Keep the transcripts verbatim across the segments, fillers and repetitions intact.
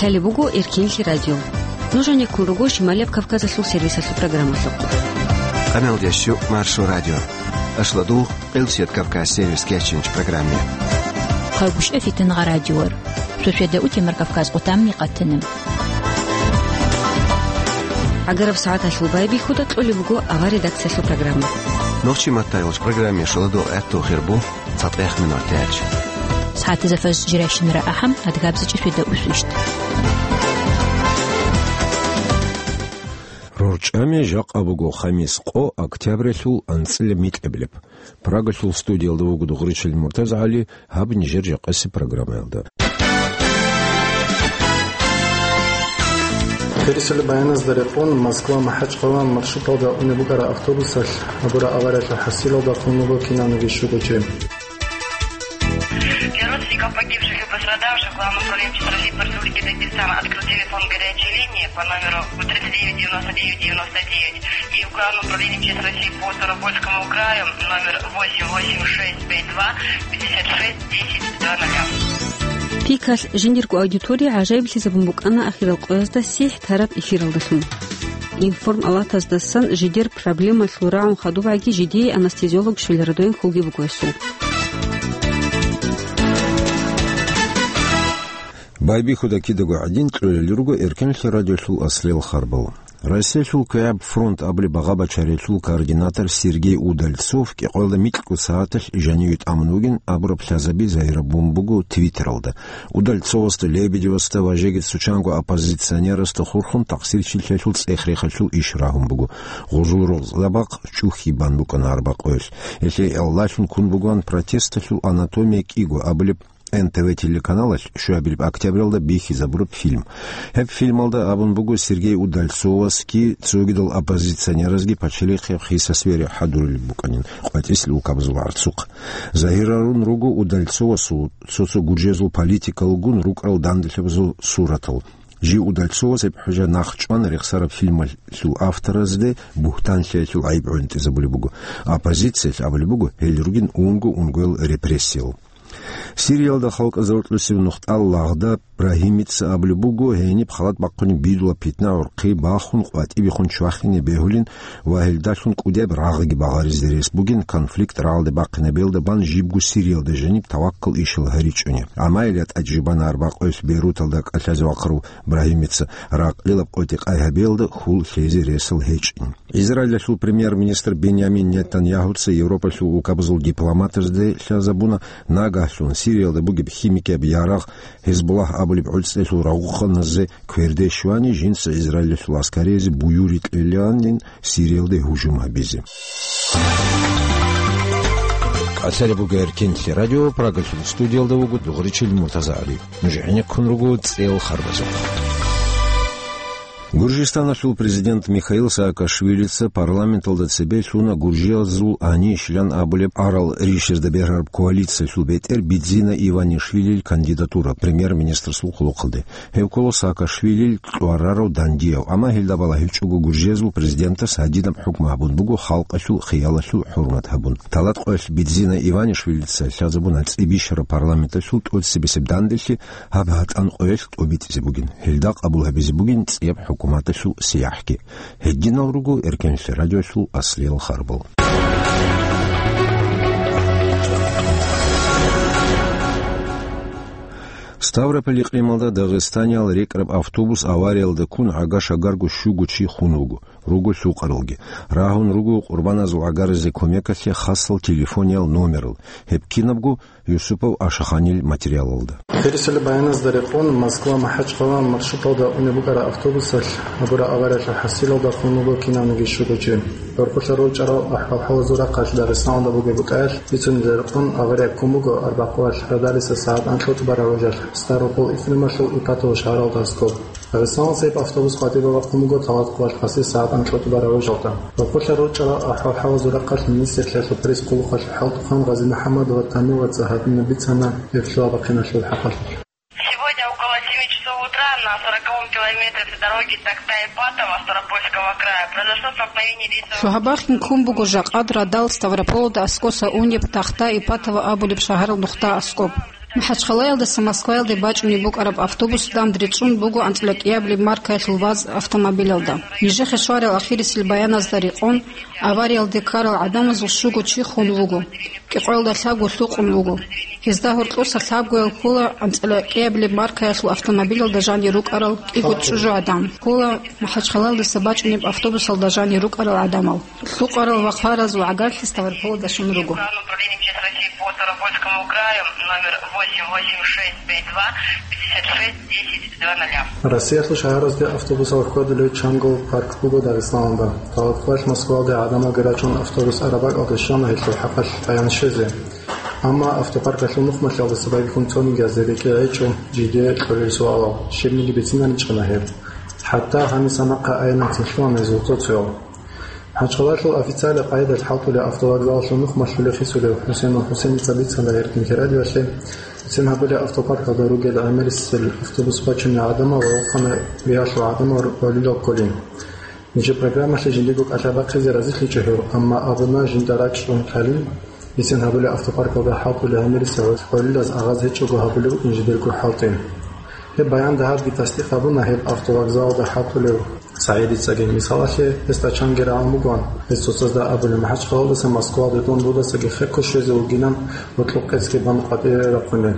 Лъалеб буго Эркенлъи радио. Нуж гьанеккун руго Шималияб Кавказалъул сервисалъул программалъухъ. Къамел дящу Маршо радио. Ашладул Къилсият Кавказ сервис кечинч программе. Хъалгушев Фитингъа радиор. Суседа утемар Кавказ къутамни къатана. ГӀагараб сагӀаталъул байбихьуда кьолеб буго авар редакциялъул программа. Нохчи маттайолч программе шоладул гӀатту хирбу цатӀех минор тяч. СагӀатизафаз жиращинара ахӀам, адгабзичӀи суседа усвищт. РорчӀами жакъа буго хамис къо октябрялъул анцӀила микьабилеб. Прагалъул студиялда вуго Дугъричил МуртазагӀали, гьаб нижер жакъасеб программаялда. Пересели баяназда рекъон Москва-МахӀачхъала маршруталда унеб букӀараб автобусалъ гьабураб авариялъул хӀасилалда хун буго кинавниги щуго чи. Для родственников погибших и пострадавших Главным управлением России по Республике Дагестан открыт телефон горячей линии по номеру тридцать девять девяносто девять девяносто девять и в Главном управлении М Ч С России по Ставропольскому краю номер восемь восемь шесть пять два пятьдесят шесть десять два нуля. Пикалъ жиндирго аудитория гӀажаиблъизабун букӀана ахирал къоязда сихӀ тараб эфиралдалъун. Информалатаздасан жидер проблемалъул рагӀун хадубгӀаги жидее анестезиолог щвеларадоин хьулги буго гьесул. Байбихьуда кидаго гӀадин кьолел руго Эркенлъи радиолъул аслел харбал. Россиялъул квегӀаб фронт абулеб багъа-бачариялъул координатор Сергей Удальцов кӀикъоялда микьго сагӀаталъ жаниве тӀамун вугин абураб лъазаби загьирабун буго Твиттералда. Удальцовасда, Лебедевасда ва жеги цо чанго оппозиционерасда хурхун такъсирчилъиялъул цӀех-рехалъул иш рагьун буго. Гъужул рокъзабахъ чӀухьи бан букӀана арбакъоялъ. Гьелъие гӀолалъун ккун бугоан протесталъул анатомия кӀиго абулеб Н Т В телеканалалъ щуабилеб октябралда бихьизабураб фильм. Гьеб фильмалда абун буго Сергей Удальцовасги цогидал оппозиционеразги пачалихъ гьеб хиса-свере хӀадурулеб букӀанин къватӀислъи улкабазул гӀарцухъ. Загьирарун руго Удальцовасул цо-цо гуржезул политикалгун рукӀарал данделъабазул суратал. Жив Удальцовас гьеб хӀужа нахъчӀван рехсараб фильмалъул авторазде бугьтанлъиялъул гӀайиб гӀунтӀизабулеб буго. Оппозициялъ абулеб буго, гьел ругин унго-унгоял репрессиял. Сириялда халкъазда рокьулъ нухда Лагъда Брагьимица абулеб буго, гьениб халат бахъунеб бидула питна-гӀурхъи бахун къватӀибехун чвахине бегьулин ва гьелдалъун кӀудияб рагъги багъаризе рес бугин, конфликт рагъалде бахъинабиялда бан жибго Сириялда жаниб таваккал ишал гьаричӀони. Амма ил ятӀа жибана арбакъоялъ Бейруталда кӀалъазе вахъарав Брагьимица ракълилаб къотӀи къай гьабиялда хьул лъезе ресал гьечӀин. Израилалъул премьер-министр Бенямин Нетаньягьуца Европалъул улкабазул дипломатазде лъазабуна, нагагьлъун Сириялда бугеб химикияб ярагъ Гьезбуллагь абулеб гӀуцӀиялъул рагъухъаназе кверде щвани, жинца Израилалъул аскариязде буюрги кьелилан Сириялде гьужум гьабизе. КӀалъалеб буго Эркенлъи радио, Прагалъул студиялда вуго Дугъричил МуртазагӀали. Нуж гӀенеккун руго цӀел харбазухъ. Гуржистаналъул президент Михаил Саакашвилица парламенталда цебе лъуна гуржиязул гьанищилан абулеб арал ришазда бергьараб коалициялъул бетӀер Бидзина Иванишвилил кандидатура премьер-министрасул хъулухъалде. Гьев ккола Саакашвилил кьварарав дандияв, амма гьелда балагьичӀого гуржиязул президентас гьадинаб хӀукму гьабун буго халкъалъул хиялалъул хӀурмат гьабун. Талат къоялъ Бидзина Иванишвилица лъазабуна цӀибищараб парламенталъул тӀоцебесеб данделъи гьаб гьатӀан къоялъ тӀобитӀизе бугин. Гьелда къабул гьабизе бугин цӀияб хӀукуматалъул сияхӀги. Гьединал руго Эркенлъи радиолъул аслиял харбал. Ставрополь регионалда дагъистаниял рекӀараб автобус авариялда ккун гӀага-шагарго щуго чи хун вуго, руго лъукъаралги. Рагьун руго къурбаназул гӀагаризе кумекалъе хасал телефониял номерал. Гьеб кинабго Юсупов Ашаханил материалалда. Пересели баяназда рекъон Москва-МахӀачхъала маршруталда унеб букӀараб автобусалъ гьабураб авариялъул хӀасилалда хун вуго кинавниги щуго чи. ГӀурхъулъа рорчӀарал ахӀвал-хӀалазул рахъалъ Дагъистаналда бугеб букӀаялъ бицунеб рекъон авария ккун буго арбякъуалъ радалиса сагӀат анкьа тӀубараб важалъ Ставрополь-Ифремалъул Ипатовалъ шагьаралда аскӀоб. Дагъистаналдаса гьеб автобус къватӀибе бахъун буго талат къоялъ гъасил сагӀат анкьа тӀубараб важалда. ГӀурхъулъа рорчӀарал ахӀвал-хӀалазул рахъалъ министрлъиялъул пресс-хъулухъалъ хӀалтӀухъан Гъази МухӀаммадова Тамилаца гьадинаб бицана гьеб лъугьа-бахъиналъул хӀакъалъулъ. Сегодня около семи часов утра на сороковом километре дороги Такта-Ипатово Ставропольского края произошло столкновение рейсового... Лъугьа-бахъин ккун буго жакъад радал Ставрополалда аскӀоса унеб Такта-Ипатово абулеб шагьаралда нухда аскӀоб. МахӀачхъалаялдаса Москваялде бачӀунеб букӀараб автобус дандри цӀун буго анцӀила кӀиабилеб маркаялъул ВАЗ автомобилялда. Нижехъе щварал ахирисел баяназда рекъон, авариялде ккарал гӀадамазул щуго чи хун вуго, кӀикъоялда лъабго лъукъун вуго. Гьезда гьоркьоса лъабгоял ккола анцӀила кӀиабилеб маркаялъул автомобилялда жанир рукӀарал кӀиго чӀужугӀадан, ккола МахӀачхъалаялдаса бачӀунеб автобусалда жанир рукӀарал гӀадамал. Лъукъарал вахъаразул гӀагарлъи Ставрополалда щун руго. Управлением М Ч С России по Ставропольскому краю номер восемь восемь шесть пять два пятьдесят шесть десять два нуля. Россиялъул шагьаразде автобусал хьвадулев чанго парк буго Дагъистаналда. Талакквалъ Москвалде гӀадамалги рачӀун автобус араб бакӀалде щвана гьелъул хӀакъалъ къаян щвезе. Амма автопаркалъул нухмалъиялдаса байбихьун цониги азде рекӀее гьечӀо жиде кьолел суалал, щибниги бицинаричӀана гьеб. ХӀатта гьаниса нахъа айиланцин лъугьана гьезул цо-цоял. МахӀачхъалаялъул официалаб къайдалъ хӀалтӀулев автовокзалалъул нухмалъулев хисулев ХӀусейнул ХӀусейница бицана Эркин радиоялъе, бицин гьабулеб автопаркалда ругел гӀемерисел автобус бачунел гӀадамал ва вахъана биялъул гӀадамал гьолилал кколин. Нижер программалъе жиндирго кӀалъа бахъизе разилъичӀо гьев, амма абуна жинда рачӀун кколин, бицин гьабулеб автопаркалда хӀалтӀулел гӀемерисел гьолилаз агъаз гьечӀого гьабулеб букӀин жидерго хӀалтӀи. Гьеб баянда гьабги тасдикъ гьабуна гьеб автовокзалалда хӀалтӀулев СагӀидицаги. Мисалалъе, гьесда чанги рагӀун бугоан, гьес цоцазда абулеб, МахӀачхъалаялдаса Москвалде дун дудасаги хехго щвезе вугилан, гьоркьоб къецги бан къватӀире рахъунел.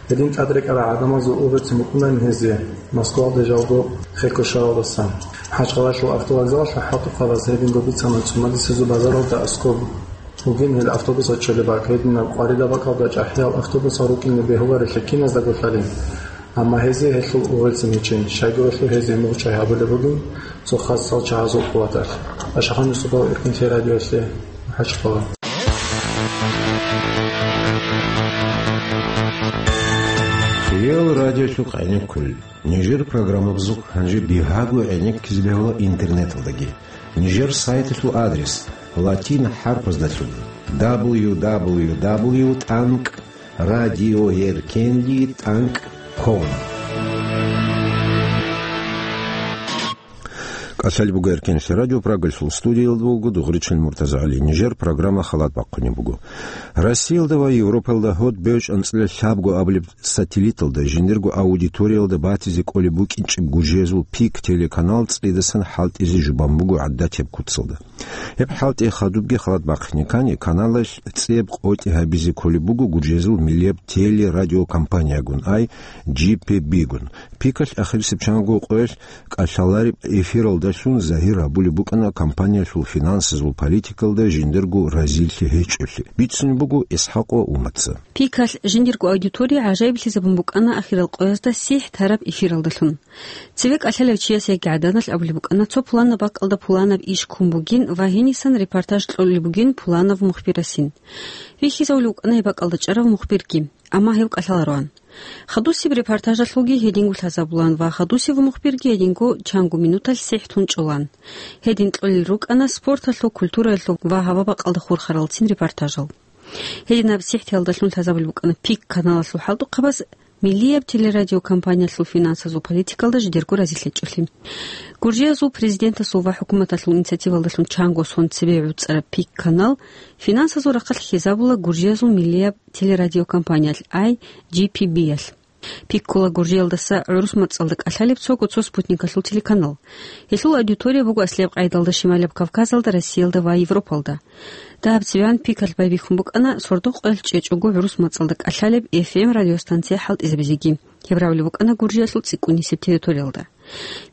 Гьедин тӀад рекӀарал гӀадамазул угӀуцин букӀунарин гьезие, Москвалде жалго хехго щваралдаса. МахӀачхъалаялъул автовокзалалъа хӀалтӀухъабаз гьединго бицана цӀумадисезул базаралда аскӀоб бугин гьел автобусал чӀолеб бакӀ, гьединаб къваридаб бакӀалда чӀахӀиял автобусал рукӀине бегьуларелъи киназдаго лъалин. Амма гьезие гьелъул угӀуцин гьечин, щайгурелъул гьезие мугъчӀвай гьабулеб бугин цо хасал чагьазул къуваталъ. Ашахан Юсупов, Эркин радиоялъе, МахӀачхъала. Реал радиолъухъ гӀенеккулел. Нижер программабазухъ гьанже бигьаго гӀенеккизе бегьула интернеталдаги. Нижер сайталъул адрес: латин хӀарпаздалъун: дабл ю дабл ю дабл ю тӀанкӀ радиоеркенли тӀанкӀ ком. КӀалъалеб буго Эркенлъи радио, Прагалъул студиялда вуго Дугъричил МуртазагӀали. Нижер программа халат бахъунеб буго. Россиялда ва Европалда гьод бевчӀ анцӀила лъабго абулеб сателлиталда жиндирго аудиториялда батизе кӀолеб букӀинчӀеб гужезул Пик телеканал цӀидасан хӀалтӀизе жубан буго гӀадатияб куцалда. Гьеб хӀалтӀи хадубги халат бахъине ккани, каналалъ цӀеб къотӀи гьабизе кколеб буго гужезул миллияб телерадиокомпаниягун, ай G P B-гун. Пикалъ ахирисеб чанго къоялъ кӀалъалареб эфиралдалъун загьир гьабулеб букӀана компаниялъул финансазул политикалда жиндирго разилъи гьечӀолъи. Бицунеб буго ИсхӀакъ ва Умаца. Пикалъ жиндирго аудитория гӀажаиблъизабун букӀана ахирал къоязда сихӀ тараб эфиралдалъун. Цеве кӀалъалев чияс яги гӀаданалъ абулеб букӀана, цо пуланаб бакӀалда пуланаб иш ккун бугин ва гьенисан репортаж кьолеб бугин пуланав мухбирасин. Вихьизавулев вукӀана гьеб бакӀалда чӀарав мухбирги, амма гьев кӀалъалароан. Хадусеб репортажалъулги гьединго лъазабулаан ва хадусев мухбирги гьединго чанго минуталъ сихӀ тун чӀолаан. Гьедин кьолел рукӀана спорталъул, культураялъул ва гьава-бакъалда хурхаралцин репортажал. Гьединаб сихӀтиялдалъун лъазабулеб букӀана Пик каналалъул хӀалтӀухъабаз миллияб телерадиокомпаниялъул финансазул политикалда жидерго разилъ гьечӀолъи. Гуржиязул президентасул ва хӀукуматалъул инициативалдалъун чанго сон цебе гӀуцӀараб Пик канал финансазул рахъалъ хьизабула гуржиязул миллияб телерадиокомпаниялъ, I G P B-ялъ. Пик ккола Гуржиялдаса гӀурус мацӀалда кӀалъалеб цого цо спутникалъул телеканал. Гьелъул аудитория буго аслияб къайдалда Шималаб Кавказалда, Россиялда ва Европалда. Дагьаб цевегӀан Пикалъ байбихьун букӀана сордо къоялъ чӀечӀого гӀурус мацӀалда кӀалъалеб F M радиостанция хӀалтӀизабизеги. Гьеб равли букӀана Гуржиялъул цӀикӀкӀунисеб территориялда.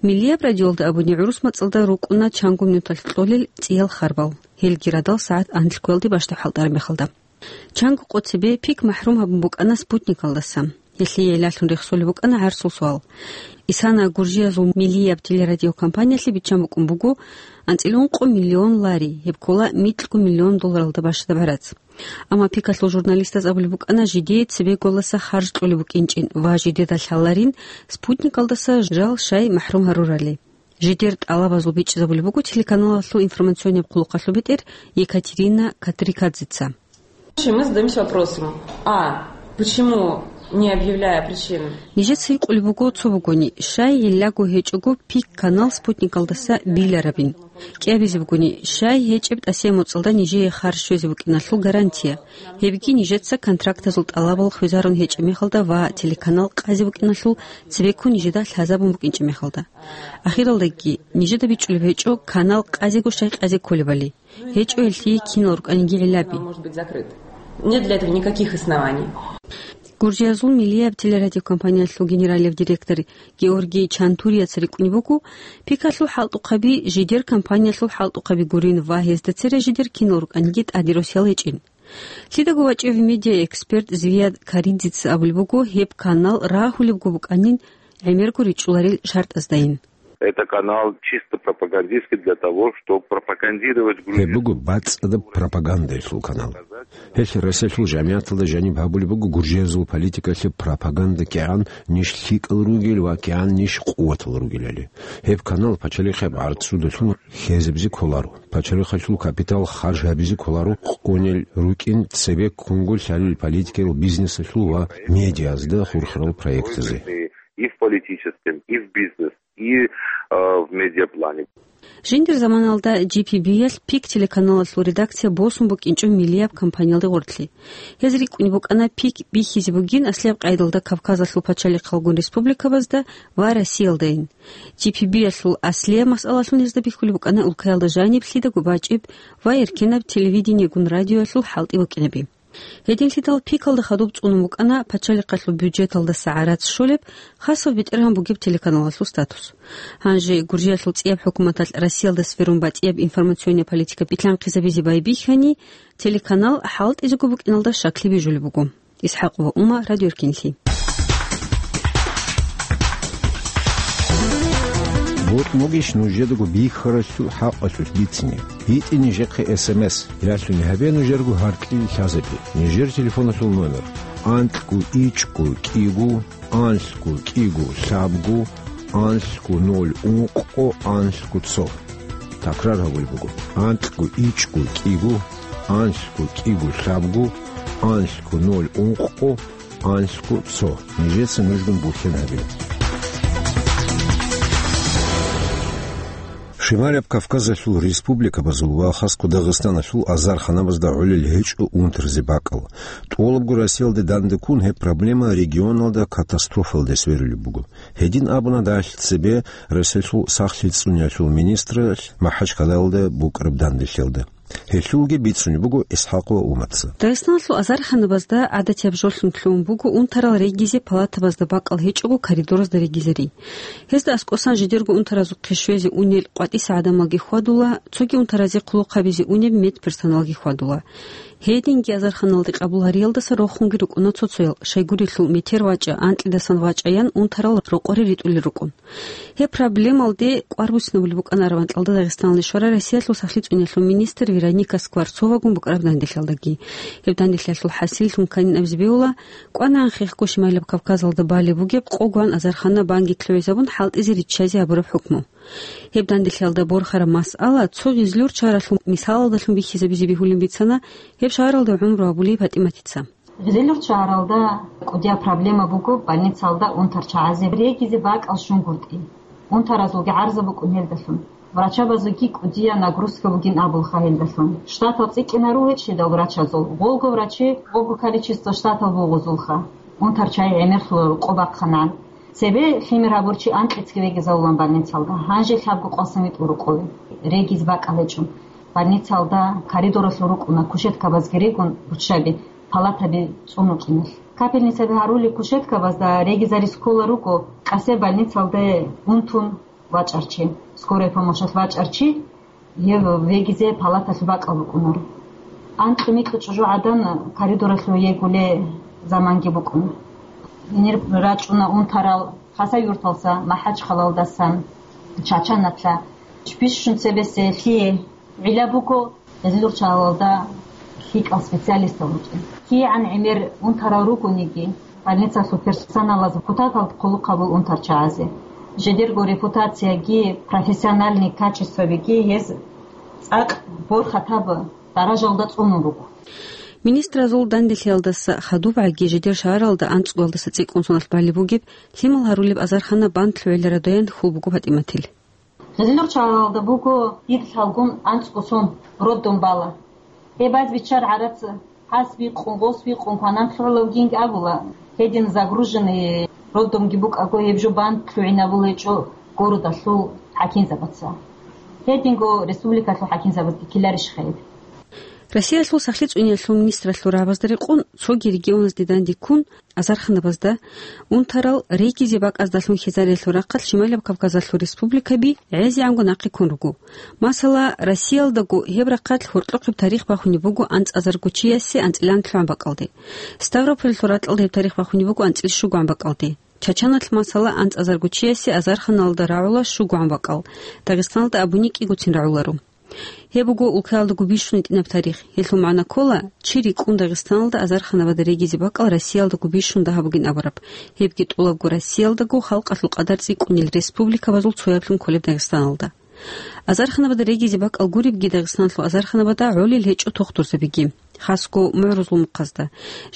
Миллияб радиоялда абуни гӀурус мацӀалда рукӀуна чанго минуталъ кьолел цӀиял харбал. Гьелги радал сагӀат анлъгоялде бащдаб хӀалтӀараб мехалда. Чанго къо цебе Пик махӀрум гьабун букӀана спутникалдаса. Гьелъие гӀиллалъун рехсолеб букӀана гӀарсул суал. Исана Гуржиязул миллияб телерадиокомпаниялъе биччан букӀун буго анцӀила ункъо миллион лари, гьеб ккола микьго миллион долларалда бащадаб гӀарац. Амма Пикалъул журналистаз абулеб букӀана жидее цебеголаса харж кьолеб букӀинчӀин ва жидеда лъаларин спутникалдаса жал щай махӀрум гьарурали. Жидер тӀалабазул бичӀчӀизабулеб буго телеканалалъул информационнияб хъулухъалъул бетӀер Екатерина Катрикадзеца. Мы задаёмся вопросом: а, почему, не объявляя причины? Нижеца гьикъулеб буго цо бугони, щай гьеллаго гьечӀого Пик канал спутникалдаса биларабин? КӀиабизе бугони, щай гьечӀеб тӀасияб моцӀалда нижее харж щвезе букӀиналъул гарантия, гьебги нижеца контрактазул тӀалабал хвезарун гьечӀеб мехалда ва телеканал къазе букӀиналъул цебеккун нижеда лъазабун букӀинчӀеб мехалда. Ахиралдаги, нижеда бичӀчӀулеб гьечӀо канал къазего щай къазе кколебали. ГьечӀо гьелъие кинал рукӀаниги гӀиллаби. Может быть закрыт. Нет для этого никаких оснований. Гуржиязул миллияб телерадиокомпаниялъул генералияб директор Георгий Чантурияца рикӀкӀунеб буго, пикалъул хӀалтӀухъаби жидер компаниялъул хӀалтӀухъаби гурин ва гьезда цере жидер кинал рукӀаниги тӀаде росиялъ гьечӀин. Лъидаго вачӀев медиаэксперт Звияд Каридзица абулеб буго, гьеб канал рагьулебго букӀанин гӀемерго ричӀчӀуларел шартӀаздайин. Это канал чисто пропагандистский для того, чтобы пропагандировать Гьеб Грузию. Буго бацӀцӀадаб пропагандайилъул канал. Гьелъ Россиялъул жамигӀаталда жаниб гьабулеб буго гуржиязул политикалъе пропаганда кигӀан ниж лъикӀал ругел ва кигӀан ниж къуватал ругелали. Гьеб канал пачалихъеб гӀарцудалъун хезабизе кколаро. Пачалихъалъул капитал харж гьабизе кколаро къонел рукӀин цебеккунго лъалел политикаялъул, бизнесалъул ва медиазда хурхарал проектазе. И в политическом, и в бизнес, и, э, в медиаплане. Жиндир заманалда G P B-ялъ Пик телеканалалъул редакция босун букӀинчӀо миллияб компаниялде гъорлъе. Гьез рикӀкӀунеб букӀана Пик бихьизе бугин аслияб къайдалда Кавказалъул пачалихъалгун республикабазда ва Россиялдайин. G P B-ялъул аслияб масъалалъун гьезда бихьулеб букӀана улкаялда жаниб лъидаго бачӀеб ва эркенаб телевидениегун радиоялъул хӀалтӀи букӀинаби. Гьединлъидал Пикалда хадуб цӀунун букӀана пачалихъалъул бюджеталдаса гӀарац щолеб, хасав бетӀергьан бугеб телеканалалъул статус. Гьанже Гуржиялъул цӀияб хӀукуматалъ Россиялда сверун батӀияб информационная политика билълъанхъизабизе байбихьани, телеканал хӀалтӀизего букӀиналда щаклъи бижулеб буго. ИсхӀакъова Ума, Радио Эркинлъи. Бокьун бугищ нужедаго бихьаралъул хӀакъалъулъ бицине? ГьитӀе нижехъе эс эм эс, ралъуни гьабе нужерго гьаркьил лъазабе. Нижер телефоналъул номер: анкьго ичӀго кӀиго, анлъго кӀиго лъабго, анлъго ноль ункъго, анлъго цо. Такрар гьабулеб буго: анкьго ичӀго кӀиго, анлъго кӀиго лъабго, анлъго ноль ункъго, анлъго цо. Нижеца нужгун бухьен гьабе. Шималаб Кавказалъул республикабазул ва хасго Дагъистаналъул азарханабазда гӀолел гьечӀо унтарзе бакӀал. ТӀолабго Россиялде данде ккун гьеб проблема регионалда катастрофалде сверулеб буго. Гьедин абуна дагьалъ цебе Россиялъул сахлъи цӀуниялъул министралъ МахӀачхъалаялда букӀараб данделъиялда. Гьелъулги бицунеб буго ИсхӀакъова Умаца. Дагъистаналъул азарханабазда гӀадатияб жолъун лъугьун буго унтарал регизе палатабазда бакӀал гьечӀого коридоразда регизари. Гьезда аскӀосан жидерго унтаразухъе щвезе унел къватӀиса гӀадамалги хьвадула, цоги унтаразе хъулухъ гьабизе унеб медперсоналги хьвадула. Гьединги азарханалде къабул гьариялдаса рохунги рукӀуна цо-цоял, щайгурелъул метер вачӀа, анкьидасан вачӀаян унтарал рокъоре ритӀулел рукӀун. Гьеб проблемалде кӀвар буссинабулеб букӀана Арванталда Дагъистаналде щварай Россиялъул сахлъи цӀуниялъул министр Вероника Скворцовагун букӀараб данделъиялдаги. Гьеб данделъиялъул хӀасиллъун кканин абизе бегьула, кӀванагӀан хехго Шималаб Кавказалда балеб бугеб къогоан азархана банги лъугӀизабун хӀалтӀизе риччазе гьабураб хӀукму. Гьеб данделъиялда борхараб масъала цо гъизлур чаралъул мисалалдалъун бихьизабизе бегьулин бицана гьеб шагьаралда гӀумру гьабулей ПатӀиматица. Гъизлур чаралда кӀудияб проблема буго больницалда унтарчагӀазе регизе бакӀал щунгутӀи. Унтаразулги гӀарза букӀун гьелдалъун. Врачабазулги кӀудияб нагрузка бугин абулха гьелдалъун. Штатал цӀикӀкӀинаро гьечӀидал врачазул. Гъолго врачи, гъолго количество штатал бугъузулха. УнтарчагӀи гӀемерлъула рукъо бахъанан. Цебе лъимер гьабурчи анкьицги вегизавулан больницалда. Гьанже лъабго къвасан витӀул рукъове. Региз бакӀал гьечӀо. Больницалда коридоралъур рукӀуна кушеткабазги регун, руччаби, палатаби цӀун рукӀиналъ. Капельницаби гьарулел кушеткабазда регизарис ккола руго къасе больницалде унтун вачӀарчи, скорая помощалъ вачӀарчи, гьев вегизе палаталъ бакӀал букӀунаро. Анкьи-микьи чӀужугӀадан коридоралъув йегулей заманги букӀуна. Гьенир рачӀуна унтарал Хасавюрталса, МахӀачхъалалдасан, Чачанатлъа. Бищун цебесе лъие гӀилла буго, гъизлур чаралда лъикӀал специалистал рукӀин. КигӀан гӀемер унтарал ругониги, больницалъул персоналаз депутатал хъулухъ гьабул унтарчагӀазе. Жидерго репутацияги профессиональный качествабиги гьез цӀакъ борхатаб даражалда цӀунун руго. Министразул данделъиялдаса хадубгӀаги жидер шагьаралда анцӀгоялдаса цӀикӀкӀун соналъ балеб бугеб лъимал гьарулеб азархана банд лъугӀила радаян хьул буго ПатӀиматил. Гъилер чагӀазда буго дир лъалгун анцӀго сон роддом бала. Гьеб баз биччар гӀарац, гьас бикъун, гъос бикъун кванан лъугӀулевгинги абула, гьедин загруженный роддомги букӀаго, гьеб жо банд лъугӀинабулеб гьечӀо городалъул хӀакимзабаца. Гьединго республикалъул хӀакимзабазги ккеларищха гьеб? Россиялъул сахлъи цӀуниялъул министралъул рагӀабазда рекъон цоги регионазде данде ккун, азарханабазда унтарал регизе бакӀаздалъун хьезариялъул рахъалъ Шималияб Кавказалъул республикаби гӀезегӀанго нахъе ккун руго. Масала, Россиялдаго гьеб рахъалъ гьоркьохъеб тарих бахунеб буго анцӀазарго чиясе анцӀила лъугӀан бакӀалде. Ставрополалъул ракьалда гьеб тарих бахунеб буго анцӀила щугоан бакӀалде. Чачаналъ, масала, анцӀазарго чиясе азарханалда рагӀула щугоан бакӀал, Дагъистаналда абуни кӀигоцин рагӀуларо. Гьеб буго улкаялдаго бищун гьитӀинаб тарих. Гьелъул магӀна ккола, чи рикӀкӀун Дагъистаналда азарханабазда регизе бакӀал Россиялдаго бищун дагьаб бугин абураб, гьебги тӀолабго Россиялдаго халкъалъул къадар цӀикӀкӀунел республикабазул цояблъун кколеб Дагъистаналда. Азарханабазда регизе бакӀал гуребги Дагъистаналъул азарханабазда гӀолел гьечӀо тохтурзабиги, хасго мугӀрузлумухъазда.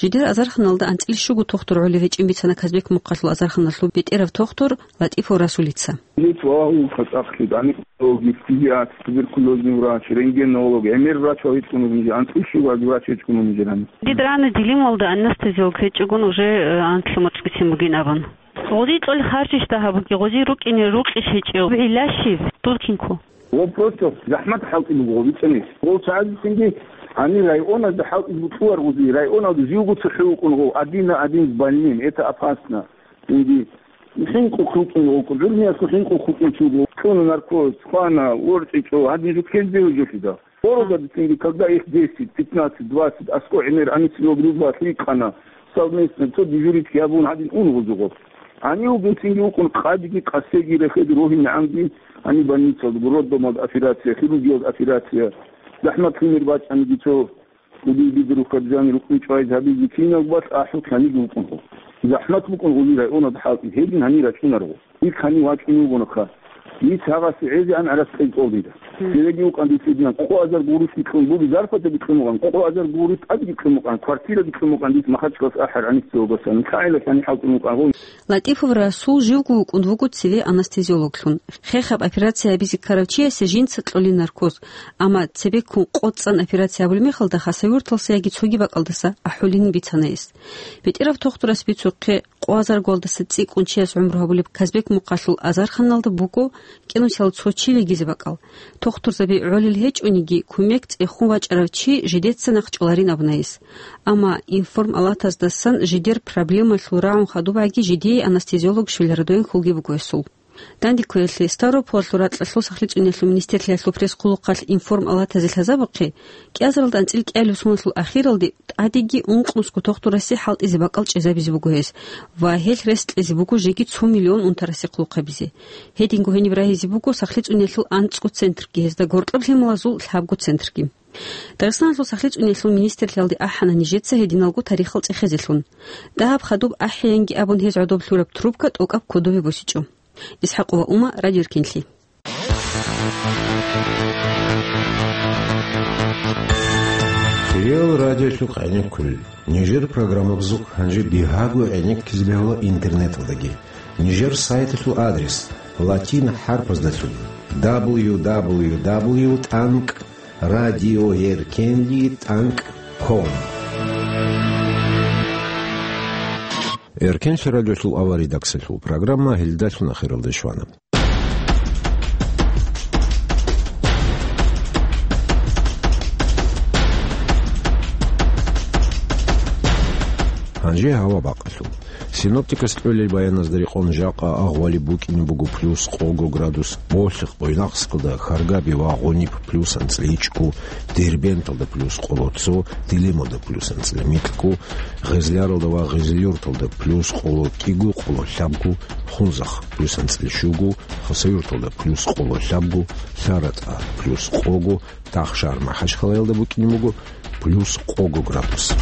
Жидер азарханалда анцӀила щуго тохтур гӀолеб гьечӀин бицана Казбек-Мухъалъул азарханалъул бетӀерав тохтур ЛатӀифов Расулица. Здесь вагьул кацӀахълъи, гӀаникьологи, педиатр, туберкулезный врач, рентгенолог, гӀемер врач вагьичӀун вугин, анцӀила щуго врач гьечӀун вугин. Дид рана Делималда анестезиолог гьечӀогун уже, э, анлъго морцӀ бицин бугин абун. Гъозие кьолеб харжищ дагьаб бугеб, гъозие рукӀине рукъищ гьечӀеб, гӀилла щиб, дуркинку? Гъов просто захӀмат хӀалтӀи буго гъов бицани. Гъов цогидасанги гьанир районазда хӀалтӀизе бокьулар гъозие, районалда живго цохӀо вукӀун гъов, один на один с больным, это опасно. Инги хӀинкъухъ вукӀун гъов, гӀурмиялъго хӀинкъухъ вукӀун чи вуго, кьуна наркоз, хвана, ворчӀичӀо, гьадин жо ккезе бегьуларо. Городалдецинги, когда их десять, пятнадцать, двадцать, аскӀов гӀемер анестезиологи рузбалалъ рикӀкӀана, совместно цо дежурить гьабун гьадин ун гъозие гъов. Гьанив вугевцинги вукӀун къадиги къасеги рехеги рогьинегӀанги гьаниб больницалда, роддомалда операция, хирургиялда операция, захӀмат лъимер бачӀаниги цо кӀудияб бигрухъаб жани рукъин чӀвайзе гьабизе кинабго балъ ахӀулъ гьаниб вукӀун гъов. ЗахӀмат букӀун гъозие районалда хӀалтӀи, гьедин гьанир рачӀунар гъов. Ил гьанив вачӀунев вугонаха. Ил гьагъасе гӀезегӀан гӀарац кьел кӀолдида. Мгм. Цевеги вукӀан дица гьединан къо азар гуруш бикьун буго, зарплата бикьун букӀан, къо азар гуруш тӀаде бикьун букӀан, квартира бикьун букӀан дица Махачкаласе ахӀараб анестезиологасан. ЛъагӀелалъани хӀалтӀун букӀан гъов. ЛатӀифов Расул живго вукӀун вуго цеве анестезиологлъун. Хехаб операция гьабизе ккарав чиясе жинца кьолин наркоз, амма цебеккун къо цӀан операция гьабулеб мехалда Хасавюрталдаса яги цоги бакӀалдаса ахӀулин бицана гьес. БетӀерав тохтурас бицухъе, къо азарго балдаса цӀикӀкӀун чияс гӀумру гьабулеб Казбек-Мухъалъул азарханалда буго кӀинусиялда цо чи вегизе бакӀал. Тохтурзаби гӀолел гьечӀониги, кумек цӀехун вачӀарав чи жидеца нахъчӀваларин абуна гьес. Амма информалатаздасан жидер проблемалъул рагӀун хадубгӀаги жидее анестезиолог щвеларадайин хьулги буго гьесул. Дандекквеялъе Ставрополалъул ракьалъул сахлъи цӀуниялъул министрлъиялъул пресс-хъулухъалъ информалатазе лъазабухъе, кӀиазаралда анцӀила кӀиабилеб соналъул ахиралде тӀадеги ункънусго тохтурасе хӀалтӀизе бакӀал чӀезабизе буго гьес ва гьелъ рес кьезе буго жеги цо миллион унтарасе хъулухъ гьабизе. Гьединго гьениб рагьизе буго сахлъи цӀуниялъул анцӀго центрги, гьезда гьоркьоб лъималазул лъабго центрги. Дагъистаналъул сахлъи цӀуниялъул министрлъиялде ахӀана нижеца гьединалго тарихал цӀехезелъун. Дагьаб хадуб ахӀеянги абун гьез гӀодоб лъураб трубка тӀокӀаб кодобе босичӀо. Исхакова Ума, Радио Эркенлъи. Реал радиолъухъ гӀенеккулел. Нижер программабазухъ гьанже бигьаго гӀенеккизе бегьула интернеталдаги. Нижер сайталъул адрес латин хӀарпаздалъун: дабл ю дабл ю дабл ю тӀанкӀ радиоеркенлъи тӀанкӀ ком. Эркенлъи радиолъул аваридаксалъул программа гьелдалъун ахиралде щвана. Гьанже гьава бакъалъул. Синоптикас кьолел баяназда рекъон жакъа агъвали букӀине буго плюс къого градус, Болъихъ, Буйнакскалда, Харгаби ва Гъуниб плюс анцӀила ичӀго, Дербенталда плюс къоло цо, Делималда плюс анцӀила микьго, Гъезляралда ва Гъезлъюрталда плюс къоло кӀиго, къоло лъабго, Хунзахъ плюс анцӀила щуго, Хасавюрталда плюс къоло лъабго, ЛъаратӀа плюс къого, Тахшар-МахӀачхъалаялда букӀине буго плюс къого градус.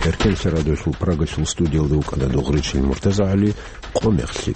Эркенлъи радиолъул Прагалъул студиялда вукӀана Дугъричил МуртазагӀали. Къо мехлъи.